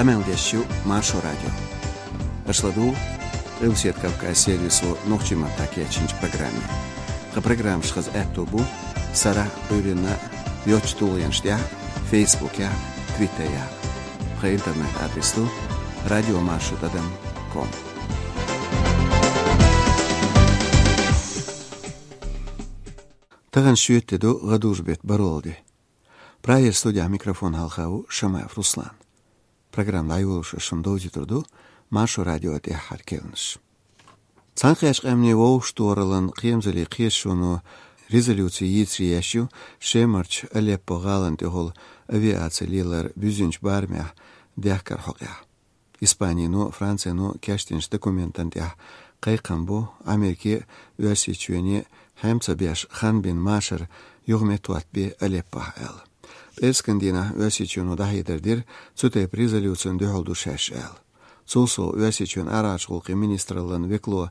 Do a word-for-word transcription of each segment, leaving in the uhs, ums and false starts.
Къамел деш ю Маршо радио. Аша ладугӀу Къилбаседа Кавказ сервисо нохчийн маттахь кечйинчу программе. Тхан программаш хаза аьтто бу сарахь, Ӏуьйранна йоцчу тулгӀенаш тӀехь, Фейсбукехь, Твиттерехь. Тхан интернет-адрес ду радиомаршо тӀадам ком. Тахана шоьтан де ду, гӀадужу беттан бархӀалгӀа де. Прагера студехь микрофон хьалха ву Шамаев Руслан. Программа дӀайолош ас шуна довзуьйтур ду Маршо радион тӀаьххьара керланаш. Цхьаьнакхеттачу Къаьмнийн Вовшахтохараллин кхерамзаллин кхеташоно резолюци йийцаре еш ю Шемарчу Алеппо гӀалина тӀехула авиаци лелар буьззинчу барамехь дехкаран хьокъехь. Испанино, Францино кечдинчу документана тӀехь кхайкхам бу, Америке а, Оьрсийчоьне а хьем ца беш, хан бина машар юха меттахӀоттабе Алеппохь аьлла. ПӀераскан дийнахь Оьрсийчоьно дӀахьедар дира цу тайпа резолюцина дуьхьал ду шаьш аьлла. Цул сов, Оьрсийчоьнан арахьарчу гӀуллакхийн министраллин векало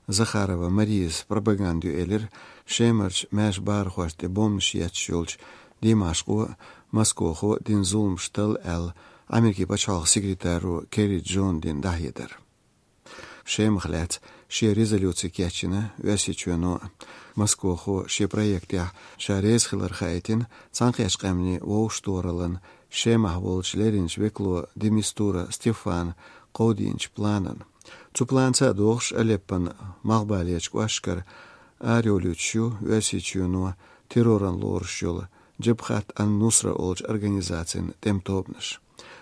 Захарова Марияс пропаганда ю элира, Шемарчу маьрша бахархошна тӀе бомбанаш етташ йолчу Димашкъо а, Москохо а дина зуламаш талла аьлла, Америкин пачхьалкхан секретаро Керри Джона дина дӀахьедар. Шемах лаьцна шен резолюци кечйина Оьрсийчоьно. Москохо шен проектехь ша реза хилар хаийтина Цхьаьнакхеттачу Къаьмнийн Вовшахтохараллин Шемахь волчу лерринчу векало де Мистура Стефана кховдийначу планана. Цу планца а догӀуш, Алеппон малхбалерчу кӀошташкара арайолуьйтуш ю Оьрсийчоьно терроран лоруш йолу Джабхат ан-Нусра олучу организацин тӀеман тобанаш.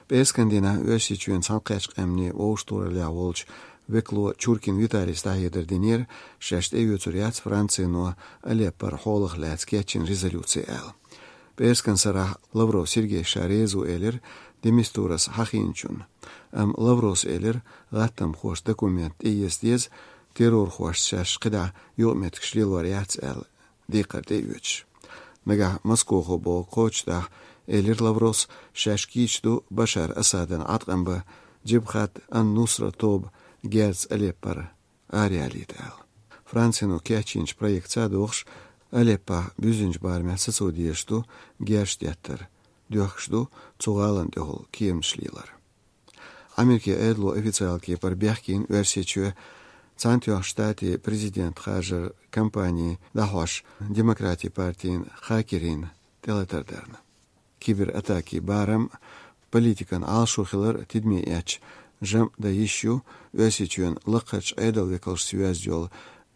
ПӀераскан дийнахь Оьрсийчоьнан Цхьаьнакхеттачу Къаьмнийн Вовшахтохараллехь волчу векало Чуркин Виталис дӀахьедар динера, шаьш тӀеоьцур яц Францино Алеппора хьолах лаьцна кечйина резолюци аьлла. ПӀераскан сарахь Лавров Сергей ша реза ву элира де Мистурас хьахийначунна. Амма Лавровс элира, гӀаттамхоша документ тӀеэца деза, террорхошца шаьш кхидӀа юкъаметтигаш лелор яц аьлла, декхар тӀеоьцуш. Нагахь Москохо бохург кхочушдахь, элира Лавровс, шаьш кийча ду Башар Асадна Ӏаткъам бан, Джабхат ан-Нусра тоба герзаца Алеппора араяьлийта аьлла. Францино кечйинчу проектца а догӀуш, Алеппохь буьззинчу барамехь сацо дезаш ду герзаш деттар, доьхкуш ду цу гӀалина тӀехула кеманаш лелар. Америкин Ӏедало официалан кепара бехкийна Оьрсийчоь Цхьаьнатоьхначу Штатийн президент харжаран кампани дӀахьош Демократийн партин хакерийн тӀелатар дарна. Кибератакийн барам, политикан Ӏалашо хилар тидаме эцча, жамӀ дан йиш ю Оьрсийчоьнан лакхарчу Ӏедалан векалшца йоьзна йолу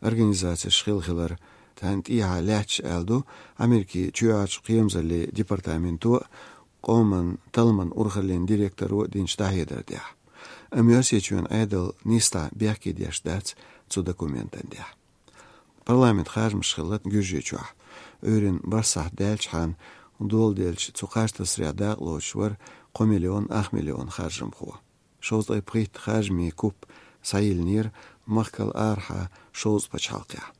организацеш хилла хилар, царна тӀехьа лаьтташ аьлла ду Америкин чоьхьарчу кхерамзаллин департаменто а, къоман талламан урхаллин директоро а динчу дӀахьедар тӀехь. Амма Оьрсийчоьнан Ӏедал нийсса бехке деш дац цу документан тӀехь. Парламентан харжамаш хилла Гуьржийчохь. Ӏуьйранна бархӀ сахьт даьллачхьана доладелча цу кхаж тасарехь дакъалоцуш вара кхо миллион ах миллион харжамхо. Шовзткъе пхийтта харжамийн куп схьайиллинера махкал арахьа шовзткъа пачхьалкхехь.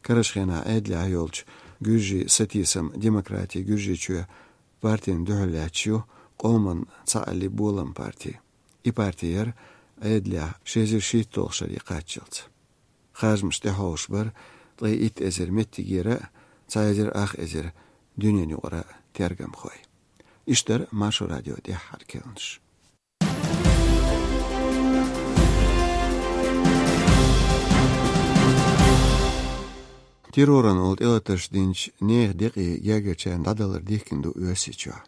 Карарчу хенахь Ӏедалехь йолчу Гуьржийн сатийсам-демократин Гуьржийчоь партина дуьхьал лаьтташ ю Къоман цхьааллин болам парти. И парти яра Ӏедалехь ши эзар шийтталгӀачу шаре кхаччалц. Харжамаш тӀехьовсуш бара ткъе итт эзар меттигера а, цхьа эзар ах эзар дуьненаюкъара тергамхой. Иштта дара Маршо радион тӀаьххьара керланаш. Терроран олу тӀелатарш динчу нехан декъий гергарчарна дӀадалар дихкина ду Оьрсийчохь.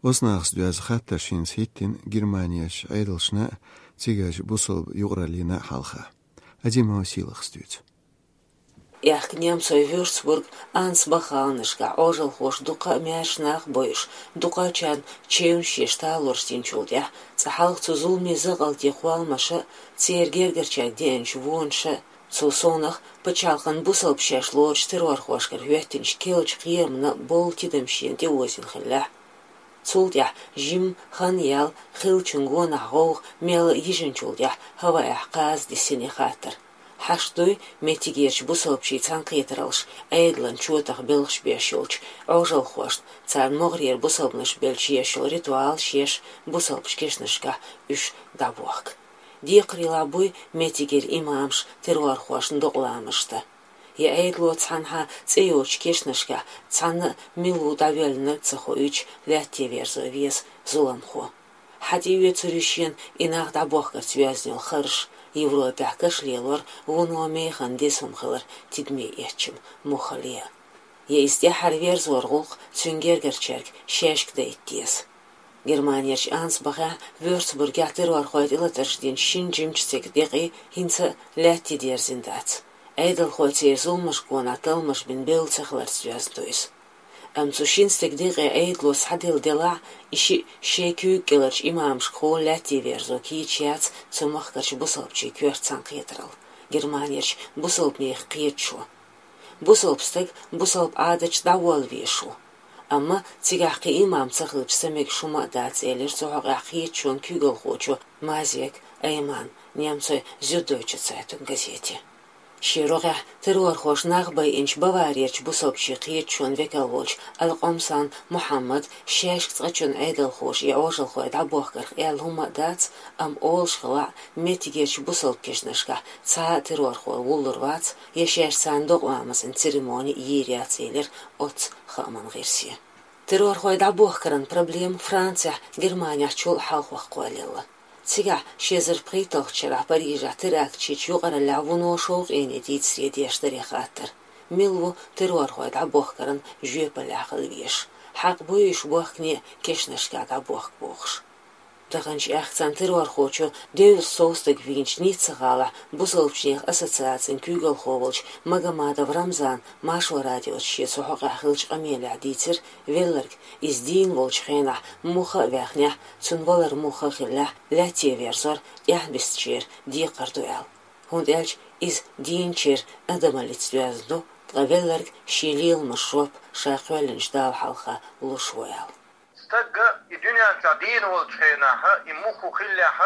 Оцу нахаца доьзна хаттарш хӀинца хӀиттина Германерчу Ӏедалшна а, цигарчу бусалба юкъараллина а хьалха. Азимова Сийлахьас дуьйцу. Аьхка немцойн Вюрцбург, Ансбах гӀаланашкахь Ӏожалхоша дуккха а маьрша нах а бойуш, дуккхачарна чевнаш еш талораш динчул тӀаьхьа, цкъа хьалха цу зуламийн закъалтийн кхолламаша а, церан гергарчаьрга деанчу вонаша а, цул совнаха пачхьалкхан бусалба шаьш лоручу террорхошкара хӀоьттинчу керлачу кхерамна болу тидам шена тӀеозийна хиллехь. Цул тӀаьхьа жимма хан яьлла, хиллачун гонах гӀовгӀа мелла а йижинчул тӀаьхьа хӀаваэхь кхаза дисина и хаттар. Хьашт дуй меттигерчу бусалбачийн цхьаьнакхетараллаш Ӏедалан чотах белхаш беш йолчу Ӏожалхошна, царна могӀарера бусалбанаш белча еш йолу ритуалаш еш бусалбачу кешнашкахь уьш дӀабохка. Декхарийлахь буй меттигера имамаш террорхошна докъаламашна дан. Я Ӏедало цхьанхьа цӀе йоцучу кешнашкахь цхьанна а мила ву дӀавоьллинарг ца хоуьйтуш лаьтте верзо веза зуламхо. Хьатӏаоьцур ю шена и нах дӏабохкарца йоьзна йола харж, Европехь каш лелор вуно механа деза хӏума хилар тидаме эцча муххале а. Я иза тӏаьхьара верзоран гӏуллакх цуьнан гергарчаьрга шаьшка дайта деза. Германерчу Ансбахехь, Вёрцбургехь террорхойн тӏелатарш динчу шина жимачу стеган декъий хӏинца а лаьтта дерзийна дац. Ӏедалхой церан зуламашка гонах талламаш бина бевлла ца хиларца доьзна ду иза. Амма цу шина стеган декъе Ӏедало схьаделла делахь а, и шиъ шен куьйга кӀеларчу имамашкахула лаьтта верзо кийча яц цу махкарчу бусалбачийн коьрта цхьаьнакхетаралла, Германерчу бусалбанех кхеташо. Бусалба стаг бусалба Ӏадаташ дӀаволла везаш ву. Амма цигахь кхин имам ца хилча, ца мегаш хӀума а дац, элира цу хьокъехь кхеташонан куьйгалхочо Мазек Аймана немцойн Зюддойче Цайтунг газете. Шен рогӀехь террорхоша нах байинчу Баварерчу бусалбачийн кхеташонан векал волчу Аль-Къомсан Мухьаммада шаьшка цкъачунна Ӏедалхоша и Ӏожалхой дӀабохкарх аьлла хӀума а дац, амма олуш хилахь, меттигерчу бусалба кешнашкахь цхьа а террорхо вуллур вац, я шаьш царна докъа ламазан церемони йийр яц, элира оццу хааман гӀирсе. Террорхой дӀабохкаран проблема Францехь, Германехь чул а хьалхох кхоллаелла. Цигахь ши эзар пхийтталгӀачу шарахь Парижехь теракташ йича юкъараллехь вуно шовкъе дийцаре деш дара и хаттар: мила ву террорхой дӀабохкаран жоьпаллехь хила везаш? Хьакъ буй уьш бохкане а кешнашкахь дӀабохка бохуш? Таханчу аьхка цхьана террорхочо девзаш сов стаг вийначу Ницца-гӀалахь бусалбачийн ассоциацин куьйгалхо волчу Магомадов Рамзана Маршо радиоца шен цу хьокъехь хиллачу къамелехь дийцира, велларг, иза дийна волчу хенахь муха а ваьхнехь, цуьнан валар муха а хиллехь, лаьтта верзор тӀаьхьабистичеран декхар ду аьлла. ХӀунда аьлча иза дийначеран адамаллица доьзна ду, ткъа велларг шен леламашна жоп ша кхоьллинчу Дала хьалха луш ву аьлла. Стаг и дуьнен чохь дийна волчу хенахь, и муха хиллехь,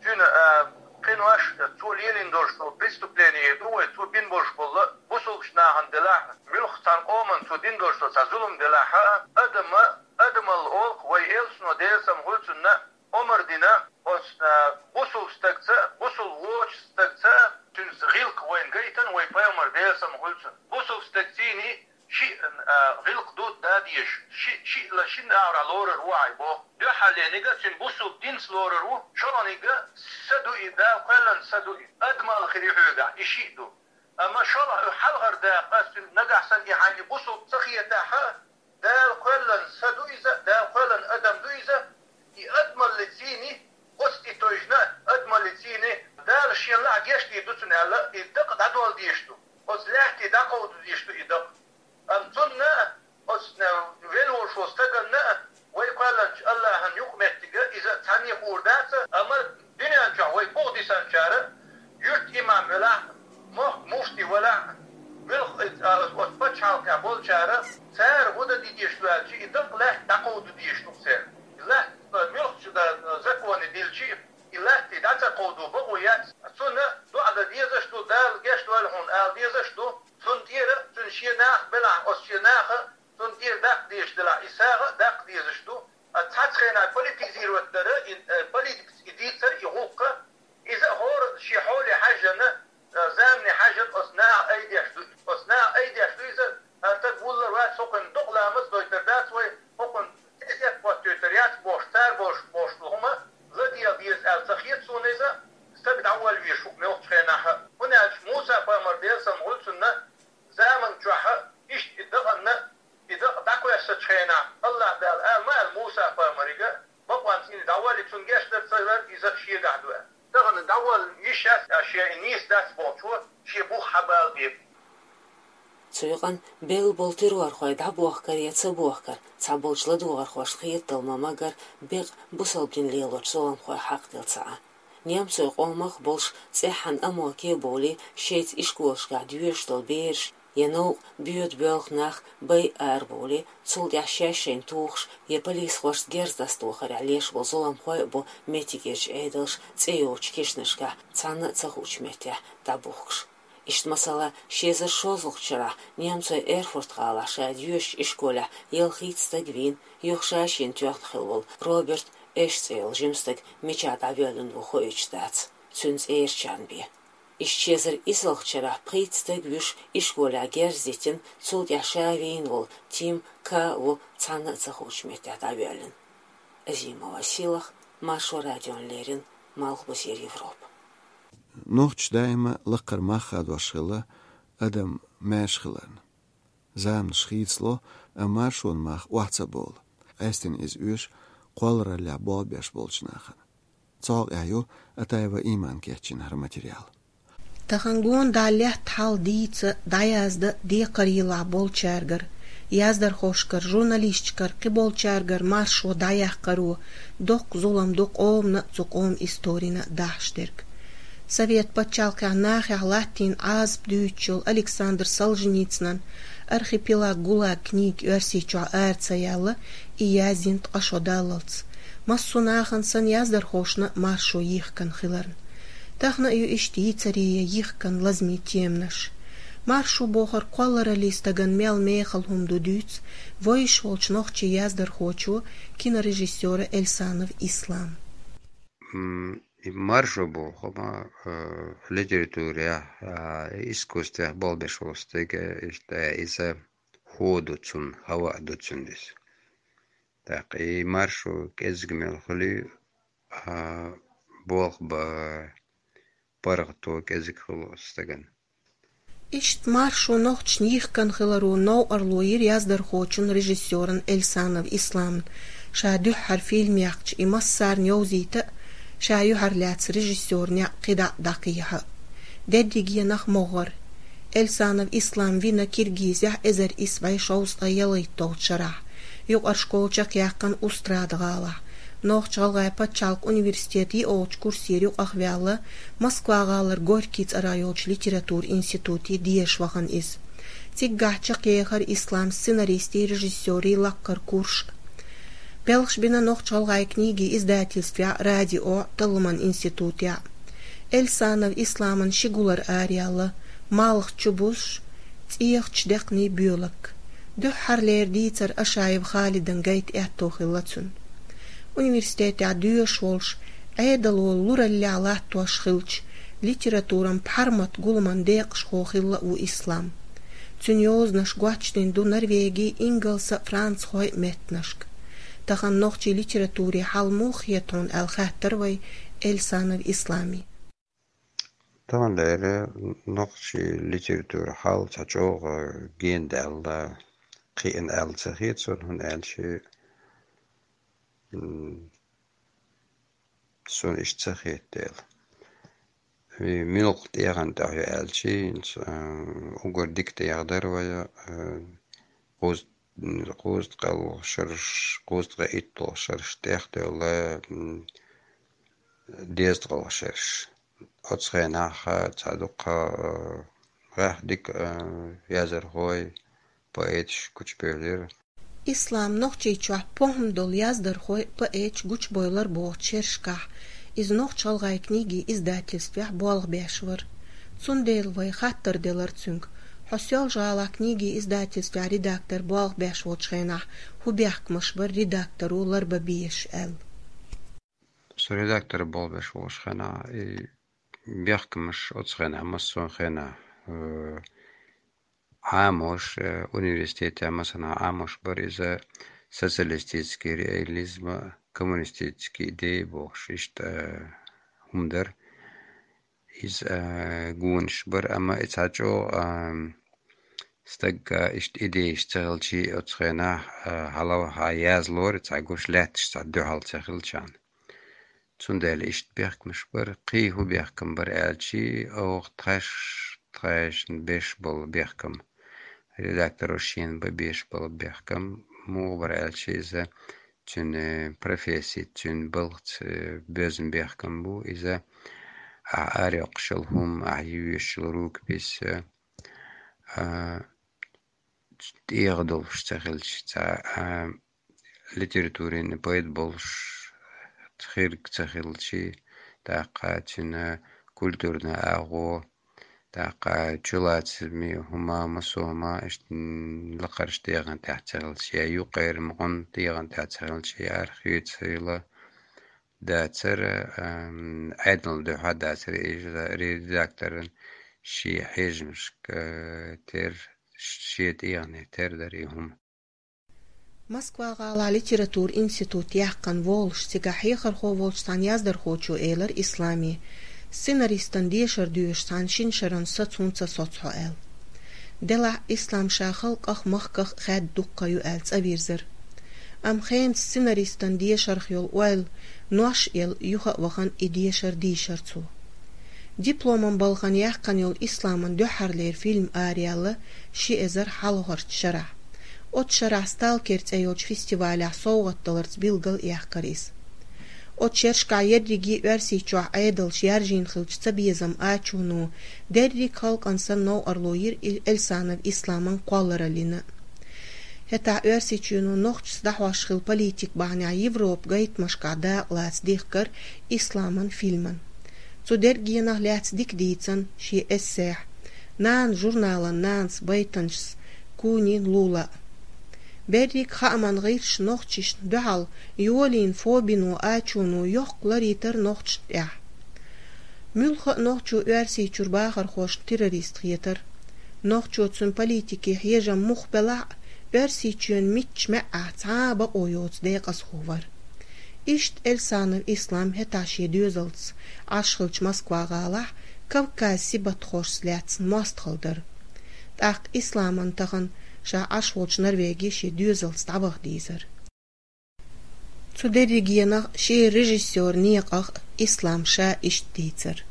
цуьнан, а, кхинош, цо лелийна долуш долу преступление ду вай, цо бина болуш болу бусалбачу нахана делахь, муьлхха цхьана къоман цо дина долуш долу цхьа зулам делахь, адама, адамалла олу-кх вай, элчано, Делан салам хуьлда цунна, омра дина оцу, а, бусалба стагца, бусалба воцучу стагца, цуьнца гӀиллакх вайна гайтина вай пайхамар, Делан салам хуьлда цунна. Бусалба стагцийний шиъ, а, гӀиллакх дан дезаш, ши-, шиъ ла шина агӀор лорур ву хьайн боху. Дуьххьарлерниг а цуьнан бусалба динца лорур ву, шолгӀаниг а са ду и, Дала кхоьллина са ду и, адамалла хир ю хьоьгахь, и шиъ ду. Амма шолгӀа хьалхара дакъа, ас цуьнан нагахь санна и хьайна бусалба ца хетахь а, Дала кхоьллина са ду иза, Дала кхоьллина адам ду иза, и адамаллицийний, оцу и тойжна адамаллицийний, Дала шен лаахь гечдийр ду цунна аьлла, и дакъа дӀадолла дезаш ду. Оцу лаьтте дӀакховдо дезаш ду и дакъа. Амма цунна а, оцу велла волуш волу стаганна а, вай кхоьллинчу АллахӀан юкъаметтиг а, иза цхьанне хуур дац, амма дуьнен чохь вай буха дисанчара, юьртан имам велахь а, мохк муфти велахь а, муьлхха а, оцу пачхьалкхехь болчара, цара хӀун дан дезаш ду аьлча, и дакъа лаьтта дӀакховдо дезаш ду церан. И лаьтта муьлххачу дан законе дилча, и лаьтта дӀа ца кховдо бакъо яц. Цунна доӀа дан дезаш ду, Дала гечдойла хьуна ала дезаш ду. Цунна тӀера, цуьнан шен нах белахь, оцу шен наха, цунна тӀера даккха дезаш делахь, и сагӀа а даккха дезаш ду. А цхьацца хенахь политизировать дара, и, э, политикаца и дийцара, и гӀуллакх, иза а хӀора шен хьоле хьаьжжина, э, замане хьаьжжина оцу наха айдеш ду. Оцу наха айдеш ду иза, а стаг вуллар вац, хӀокхуьнан докъа ламаз дойтар дац вай, хӀокхуьнан тезет хӀоттойтар яц бохуш, цара бохуш, бохуш ду хӀума, ладегӀа деза аьлла ца хета суна иза, стаг дӀаволла везаш ву муьлххачу хенахь а. ХӀунда аьлча Муса-пайхамар, Делан салам хуьлда цунна, заман чохь а иштта и дакъанна, и дакъа дӀакхоьссачу хенахь, АллахӀ Дала ала ма аьлла Муса-пайхамарига, бакъонца и дӀаволла, цунна гечдар ца лар, иза шегахь ду аьлла. Тахана дӀаволла йиш яц, а шен и нийса дац бохучо шен бух хьабала бен. Цу юкъана белла болу террорхой дӀабохкар я ца бохкар, цхьаболчу ладогӀархошна хетадала ма-магар, бекъа бусалба дин лелочу зуламхойн хьакъ дела ца Ӏа. Немцойн къомах а болуш, цӀеххьана Амоке а бовлий, шайца ишколашкахь доьшуш долу бераш, я новкъа боьду-боьлху нах байа ара бовлий, цул тӀаьхьа шаьш шайна тухуш, я полисхошца герз дӀасадохарехь леш болу зуламхой а бу меттигерчу Ӏедалша цӀе йоцучу кешнашкахь цхьанна а ца хуучу меттехь дӀабухкуш. Иштта, масала, ши эзар шолгӀачу шарахь немцойн Эрфурт-гӀалахь ша доьшучу ишколехь ялхитта стаг вийна, юха ша шена тоьхна хилла волу Роберт Эш цӀе йолу жима стаг мичахь дӀавоьллина ву хоуьйтуш дац, цуьнан цӀерачарна бен. Иштта ши эзар исалгӀачу шарахь пхийтта стаг вуьйш ишколехь герз дитина, цул тӀаьхьа ша вийна волу Тим К. ву цхьанна а ца хуучу меттехь дӀавоьллина. Азимова Сийлаха, Маршо радиона леррина Малхбузера Европа. Нохчаша даима лакхара мах хадош хилла адам маьрша хиларна. Заманаш хийцало, амма маршонан мах охьа ца бовла. Къаьстина иза оьшу кхоллараллехь болх беш болчу нахана. Цу хьокъехь ю Атаева Имана кечйина хӀара материал. Тахана гонадаллехь хьал дийца, дӀаязда декхарийлахь болчаьргара, яздархошкара, журналисташкара, кхиболчаьргара маршо дӀаяккхаро, доккха зулам ду къомана а, цу къоман историна а дахьаш дерг. Совет пачхьалкхехь нахехь латтийна Ӏазап дуьйцучу Александр Солженицынан «Архипелаг ГУЛАГ» книга Оьрсийчохь ара ца яьлла, и яздина ткъа шо даллалц. Массо а нахана санна яздархошна маршо йихкина хиларна. Тахана а ю иштта йийцаре я йихкина лазаме теманаш. Маршо бохург кхоллараллин стагана мел мехала хӀума ду дуьйцу вевзаш волчу нохчийн яздархочо, кинорежиссёро Эльсанов Ислама. М, и маршо боху хӀума, э, литературехь, а, искусствехь болх беш волу стага, э, иштта, э, иза хӀу ду цунна, хӀаваъ ду цунна иза. ТӀаккха и маршо кӀезиг мел хуьлий, а, болх бан паргӀато кӀезиг хуьлу стагана. Иштта маршо нохчашна йихкина хиларо новкъарло йира яздархочун, режиссёран Эльсанов Исламна. Ша дуьххьара фильм яьккхича, и массарна йовзийта а, ша юьхьарлаьцна режиссёран некъ кхидӀа а дӀакхехьа а. Дерриге нах могӀара. Эльсанов Ислам вина Киргизехь эзар исс бӀе шовзткъе ялхитталгӀачу шарахь, юкъара школа чекхъяьккхина Устрада-гӀалахь. Нохч-ГӀалгӀайн пачхьалкхан университет йиъолчу курсера юкъахваьлла, Москва-гӀалара Горький цӀарах йолчу литературин институте деша вахана иза. Циггахь чекхъехира Ислама сценаристийн, режиссёрийн лаккхара курс а. Белхаш бина Нохч-ГӀалгӀайн книгин издательствехь, радиохь, талламан институтехь. Эльсанов Исламан ши гулар араяьлла: «Малх чубузуш», «ЦӀехачу декхний боьлург». Дуьххьарлера дийцар Ашаев Халидан гайта аьтто хилла цуьнан. Университетехь доьшуш волуш, Ӏедало лураллехь латтош хилча, литературан пхьармат гуламан декъашхо хилла а ву Ислам. Цуьнан йозанаш гочдина ду Норвеги, Ингалса, Францхойн меттанашка. Тахана нохчийн литературин хьал муха хета хьуна аьлла хаьттира вай Эльсанов Исламе. Таханлера нохчийн литературин хьал цхьа чӀогӀа гена даьлла, кхиъна аьлла ца хета суна, хӀунда аьлча, м, суна иштта ца хета дела. И муьлхха тӀегӀанехь ю аьлча, хӀинца, а, уггар дика тӀегӀа дара вай, а, кхуза-, кхузткъе шарш, кхузткъе итталгӀа шарш тӀехдевлла, м, дезткъалгӀа шарш. Оцу хенахь цхьа дуккха, а, гӀехь дика, а, яздархой, поэташ гучубевлира. Ислам Нохчийчохь похӀма долу яздархой, поэташ гучубевлира бохучу шерашкахь, иза Нохч-ГӀалгӀайн книгин издательствехь болх беш вара. Цундела вай хаттар делира цуьнга: «Хьо Соьлжа-ГӀалахь книгин издательствехь редактор болх беш волчу хенахь хӀун бехкамаш бара редакторо ларбан безаш?» — аьлла. Со редактор болх беш волчу хенахь, и бехкамаш оцу хенахь, массо а хенахь, э, Ӏамош, э, университетехь массанхьа Ӏамош бара иза социалистический реализм, коммунистический идеи бохуш, иштта, э, хӀума дара. Иза, э, гонаш бара, амма и цхьа чӀогӀа, э, стагга иштта идеяш ца хилчий, оцу хенахь, э, хьалаваха язлора, цхьа гуш лаьтташ цхьа дуьхьал ца хилчарна. Цундела иштта бехкамаш бара. Кхин хӀун бехкам бара аьлчи, оха тхаьш, тхаьшна беш болу бехкам, редакторо шена бан беш болу бехкам муха бара аьлчи, иза цуьнан професси, цуьнан балхаца, э, боьзна бехкам бу. Иза ахь арайоккхуш йолу хӀума, ахь йоьшуш йолу рукопись, э, а, тӀегӀа долуш ца хилча, цхьа, а, литературин поэт болуш хирг ца хилчи, тӀаккха цуьнан культурни агӀо, тӀаккха чулацаме хӀума, массо а хӀума, иштта, м, лакхарчу тӀегӀан тӀехь ца хилчи, я юккъера мукъан тӀегӀан тӀехь ца хилчи, я арахь хьоьца хилла дацара, ам, Ӏедална дуьхьа дацара, и редакторан шен хьежамашка, э, тера, шен тӀегӀане тера дара и хӀума. Москва-гӀалахь литературан институт яьккхина волуш цигахь хьехархо волчу цхьана яздархочо элира Исламе, сценаристан дешар доьшуш цхьана шина шаран саца хӀунда ца соцу хьо аьлла. Делахь Ислам ша халкъах, махках хаьдда дуккха ю аьлла цӀа вирзира. Амма хенан сценаристан дешарх йолу ойла нош а елла юха а вахана и дешар дийшира цо. Дипломан балхана яьккхина йолу Исламан дуьххьарлера фильм араяьлла ши эзар хьалхарчу шарахь. Оцу шарахь «Сталкер» цӀе йолчу фестивалехь совгӀат даларца билгал а яьккхира иза. Оцу шерашкахь ерриге Оьрсийчохь Ӏедалша яржийна хиллачу цабезам ачуно дерриг халкъана санна новкъарло йира Ил-, Эльсанов Исламан кхоллараллина. ХӀетахь Оьрсийчоьно нохчашца дӀахьош хилла политика бахьанехь Европан гайтамашкахь дакъа лаца дихкира Исламан фильман. Цу дерригенах лаьцна дика дийцина шен эссехь, «Нана» журналан нанас байтанчас Кунин Лула. Берриг хааман гӀирсаша нохчашна дуьхьал йолийна фобино ачуно йоккха лар йитира нохчашна тӀехь. Муьлхха а нохчо Оьрсийчуьра бахархошна террорист хетара. Нохчо, цуьнан политике хьежам муха белахь а, Оьрсийчоьнан мичча маьӀӀехь цхьа а бакъо йоцу декъазхо вара. Иштта Эльсанов Ислам хӀетахь шен доьзалца Ӏаш хиллачу Москва-гӀалахь Кавказ сибатхошца лаьцна мостагӀалла дара. ТӀаккха Исламан тахана ша Ӏаш волчу Норвеге шен доьзалца дӀаваха дийзара. Цу дерригенах шен режиссёран некъах Ислам ша иштта дийцира.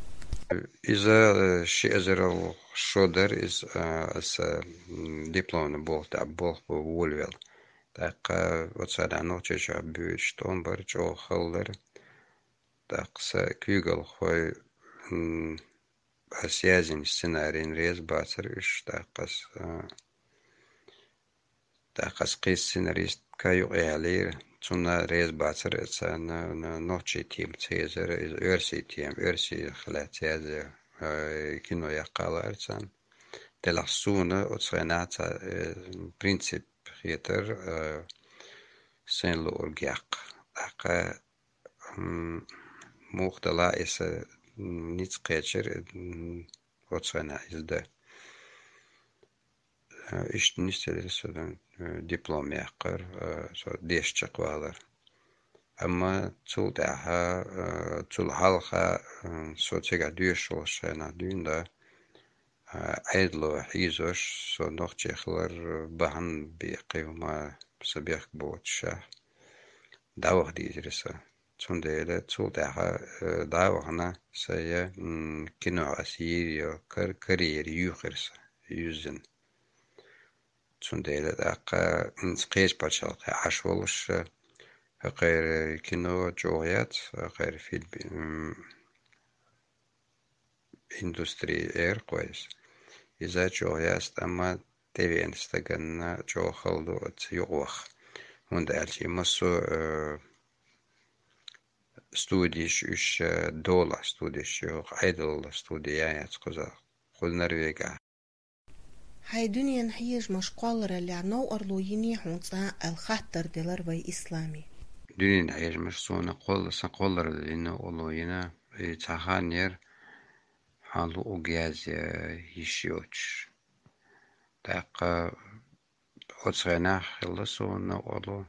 Иза, э, ши эзарал шо дара иза, э, аса, м, дипломный болх тӀехь болх бан волавелла. ТӀаккха оцу хенахь Нохчийчохь буьйцуш тӀом бара, чӀогӀа хала дара. ТӀаккха сан куьйгалхой, м, ас яздинчу сценарийна реза бацара уьш, тӀаккха ас, а, тӀаккха ас кхин сценаристка юкъа яьллера, цунна реза бацара, царна, на-, нохчийн тема ца езара, иза оьрсийн тема, оьрсийн хилаьцна язъян, а, кино яккха лаьара царна. Делахь суна оцу хенахь цхьа, э, принцип хетара, э, сайн луург яккха. ТӀаккха, м, муха делахь а, и сан, м, ницкъ кхечира, м, оцу хенахь иза дан. Э, иштта нисделира сан, э, диплом яккхар, э, со дешна чекхвалар. Амма цул тӀаьхьа, э, цул хьалха, э, со цигахь доьшуш волуш хенахь дуьйна дан, а, Ӏедало хьийзош, со нохчи хилар бахьана бен кхин хӀума сан бехк боцуш, дӀаваха дийзира сан. Цундела цул тӀаьхьа, э, дӀа а вахана, сайн, м, кино ас йийр йо кар-, карьера юьйхира сан, юьззина. Цундела тӀаккха, м, кхечу пачхьалкхе Ӏаш волуш, хӀокхеран кино чӀогӀа яц, хӀокхеран фильм, м, индустрия эр кхойса. Иза чӀогӀа яц, амма тӀевеана стаганна чӀогӀа хала ду оцу юкъа ваха. ХӀунда аьлча и массо а, э, студиш уьш, э, долахь студиш ю, Ӏедалан студи яц кхузахь, кху Норвегехь. Хьайн дуьненан хьежамаш кхоллараллехь новкъарло йиний хьуна цкъа аьлла хаттар делара вай Исламис. Дуьненан хьежамаш суна кхолла-, сан кхоллараллина новкъарло йина, и цхьа хан яра, хьан луъург язъян йиш йоцуш. ТӀаккха оцу хенахь хилла суна новкъарло,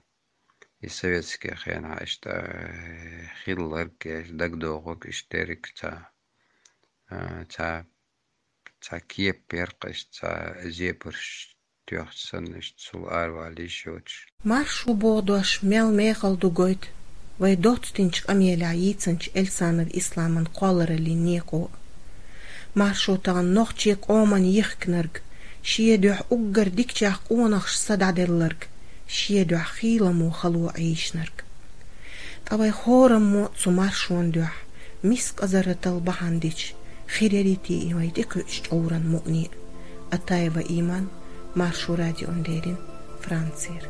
и советский хенахь иштта, э, хилларг, э, дагадогӀург иштта дерриг цхьа, э, цхьа, цхьа кепа яра-кх иштта, цхьа зебарш тоьхча санна, иштта цул аравала йиш йоцуш. Маршо боху дош мел мехала ду гойту вай доццу динчу къамелехь йийцинчу Эльсанов Исламан кхоллараллин некъо. Маршо тахана нохчийн къоман йихкинарг, шен дуьхьа уггар дикачех къонахаша са дӀаделларг, шен дуьхьа хийламо хало Ӏийшинарг. Ткъа вай хораммо цу маршонан дуьхьа мискъазарратал бахьана дича, хир ярий те и вай тӀекхуьучу чкъуран мукъане а. Атаева Иман, Маршо радиона леррина, Францера.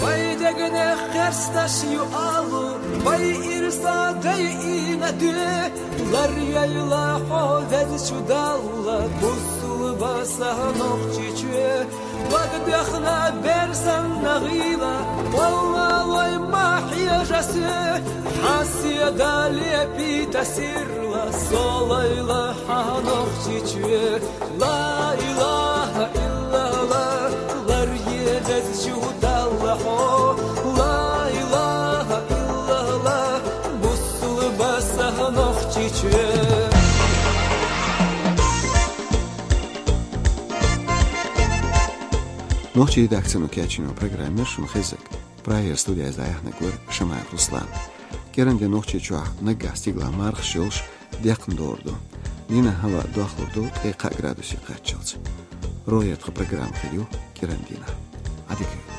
Вай дегнех кхерсташ ю алу, вай ирса дайина де, лар яйла хьо везачу Далла, бусулба са Нохчийчоь. Ваг дехна бер санна гӀийла, валла вай ма хьежа соь, хьан седа лепийта сирла, со лайла хьан Нохчийчоь. Ла илаха илла Нохчийчоь. Нохчийн редакцино кечйина программа яр шуна хезаг. Прагера студиязь дӀаяханарг вар Шамаев Руслан. КӀиранди Нохчийчохь наггахь стигалахь мархаш йолуш, декхна догӀур ду. Дийнахь хӀаваъ дохлур ду ткъе кхаа градусе кхаччалц. РогӀера тхан программа хир ю кӀирандийнахь. Ӏадика.